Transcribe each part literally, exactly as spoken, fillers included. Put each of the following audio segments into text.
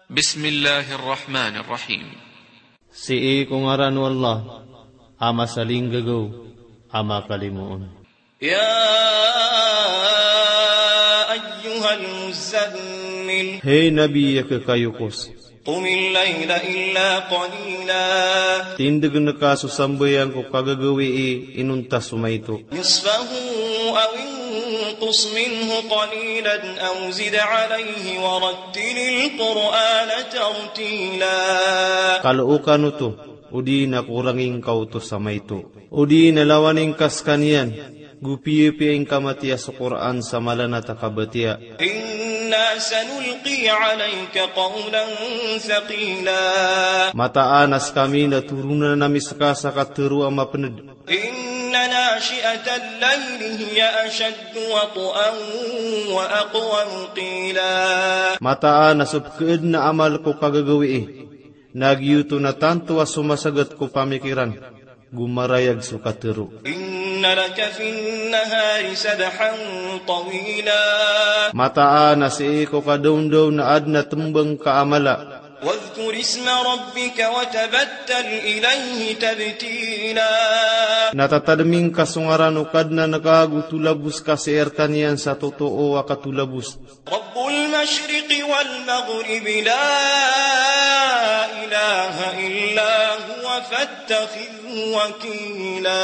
Bismillahir Rahmanir Rahim. Sii ko ngaran o Allah, a masalinggagaw, a makalimoon. Ya ayyuhal muzzammil. Hay Nabi a kekayokos. Qumil layla illa qalila. Tindegen ka so sambayang ko kagagawii inonta so maito. Nisfahu aw inqus minhu qalilan aw zid alayhi wa rattilil Qur'ana tartila. Kalookan oto, odi na korangin ka oto sa maito. Odi na lawanin ka sekaniyan, go piyapiya ingka matiya so Qur'an sa malanat a kabatiya. Inna sanulqi alayka qawlan thaqila. Mataan a sekami na toronan ami seka sa katero a mapened. Inna nashi'atal layli hiya ashaddu wat'an wa aqwamu qila. Mataan a so pekeed na amal ko kagagawii na giyoto na tanto a so masagat ko pamikiran, go marayag so katero. Inna laka fin nahari sabhan tawila. Mataan a sii ko kadaondaw na aden a tembang ka a mala. Wadhkur isma rabbika wa tabattal ilayhi tabtila. Na tatadem ingka so ngaran o Kadnan ka go tolabos ka sii rekaniyan sa totoo a katolabos. Rabbul mashriqi wal maghribi la ilaha illa huwa fattakhidhhu wakila.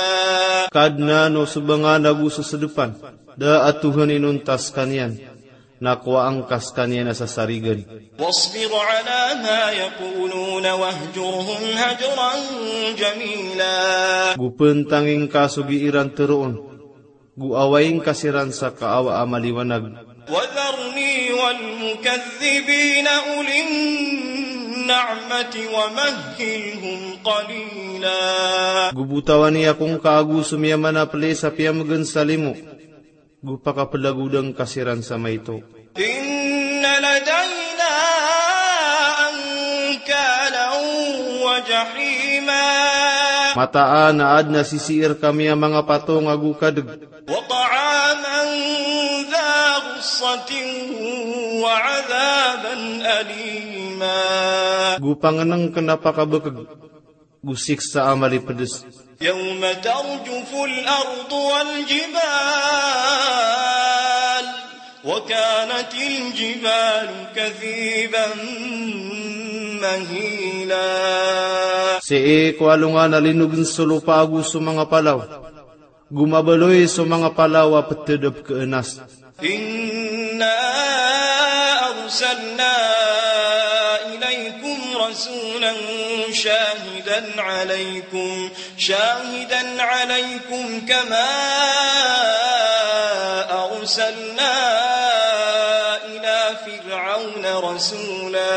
Kadnan o sobangan ago so sedepan, da a Tohan inonta sekaniyan, na kowaan ka sekaniyan a sasarigan. Wasbir ala ma yaquluna wahjurhum hajran jamila. Go pentangin ka so gii ran teroon, go awain ka siran sa kaawa a maliwanag. Wadharni wal mukadhdhibina ulin na'mati wa mahhilhum qalila. Go botawani ako ngka ago so miyamanapeli sa piyamegen sa limo, go pakapelagoda ngka siran sa maito. Inna ladayna ankalan wa jahima. Mataan a aden a sisii rekami a manga patong ago kadeg. Wa ta'aman dha ghussatin wa adhaban alima. Go pangenengken a pakabekeg, go siksa a malipedes. Yawma tarjuful ardu wal jibal, wa kanatil jibalu kathiban mahila. Sii ko alongan a linogen so lopa ago so manga palaw, go mabaloy so manga palaw a peted a pekeenas. Inna arsalna ilaykum rasulan shahidan alaykum, shahidan alaykum kama arsalna ila Fir'auna rasula.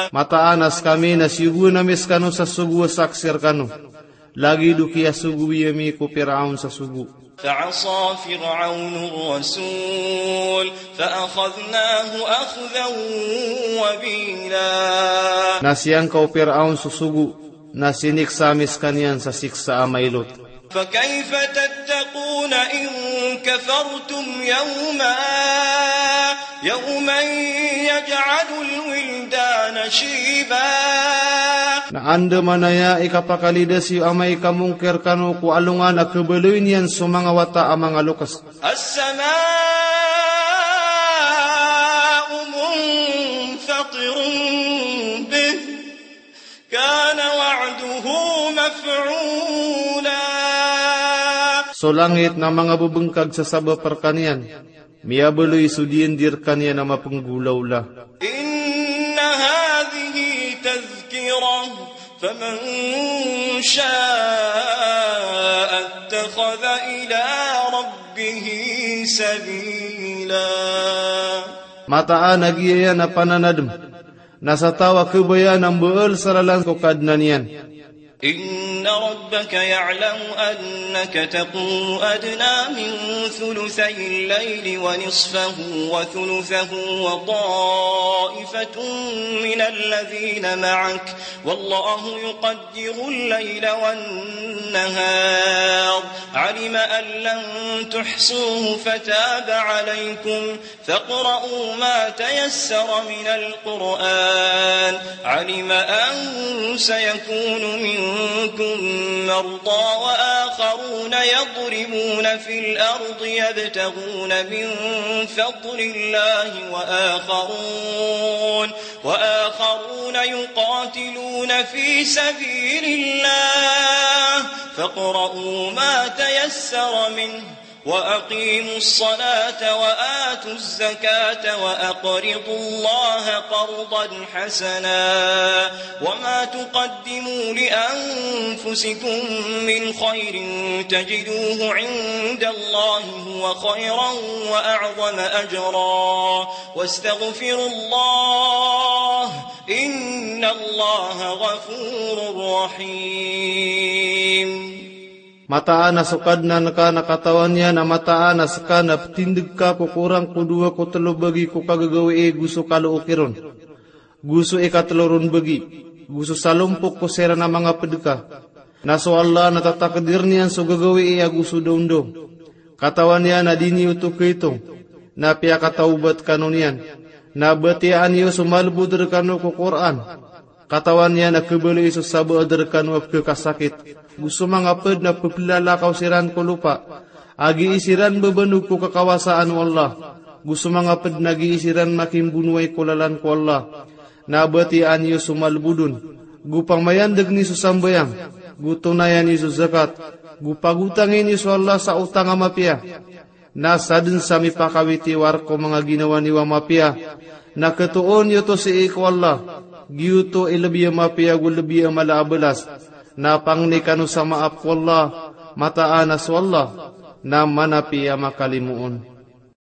Mataan a sekami na siyogoan ami sekano sa sogo a saksi rekano, lagid o kiyasogowi ami ko Piraon sa sogo. Fa'asa Fir'aunur rasul, fa'akhadhnahu akhdhan wabila. Na siyangka o Piraon so sogo, na siniksa ami sekaniyan sa siksa a mailot. Fakayfa tattaquna in kafartum yawman, yawman yaj'alul wildana shiba. Na andamanaya i kapakalidasi o amay ka mongkir kano ko alongan a kebaloy niyan so manga wata a manga lokes. As-sama'u munfatirun bih. Kana wa'duhu maf'ula. So langit na manga bebengkag sa sabap rekaniyan, miyabaloy so diyan di rekaniyan a mapenggolawla. Inna hadhihi tadhkirah, faman sha'a ittakhadha ila rabbihi sabila. Mataan a giya iyan a pananadem na sa taw a kebayaan a mbaal sa lalan ko Kadnan iyan. Inna rabbaka ya'lamu annaka taqumu adna min thuluthay al-layli wa nisfahu wa thuluthahu wa ta'ifatun min alladhina ma'ak, wallahu yuqaddiru al-layla wan-nahar, alima an lan tuhsuhu fataba alaykum, faqra'u ma tayassara minal Qur'an. علم أن سيكون منكم مرضى وآخرون يضربون في الأرض يبتغون من فضل الله وآخرون، وآخرون يقاتلون في سبيل الله، فاقرؤوا ما تيسر منه، وأقيموا الصلاة وآتوا الزكاة وأقرضوا الله قرضا حسنا، وما تقدموا لأنفسكم من خير تجدوه عند الله هو خيرا وأعظم أجرا، واستغفروا الله، إن الله غفور رحيم. Mataan a so Kadnan ka na katawan iyan a mataan a ska na ptindg ka ko korang ko dowa ko tlo bagi ko kagagawii go so kalooki ron, go so ikatlo ron bagi, go so salompok ko siran a manga pd ka. Na so Allah na tatakdir niyan so gagawii ago so dawndaw. Katawan iyan a di niyo oto kaitong, na piyakatawbat kano niyan. Na batiyaan iyo so malbod rkano ko Qur'an. Katawan iyan a khabalai so sabaad rkano a pkhakasakit, go so manga pd na pphlalakaw siran ko lopa a gii siran babanog ko kakawasaan o Allah, go so manga pd na gii siran makimbonoway ko lalan ko Allah. Na batiyaan iyo so malbod on, go pamayandg niyo so sambayang, go tonayan iyo so zakat, go pagotangi niyo so Allah sa otang a mapiya. Na sadn sa mipakawit iyo a rk o manga ginawa niyo a mapiya, na khatoon iyo oto sii ko Allah, giyoto i lbi a mapiya ago lbi a mala a balas. Na pangni kano sa maap ko Allah, mataan a so Allah na manapiya a makalimoon.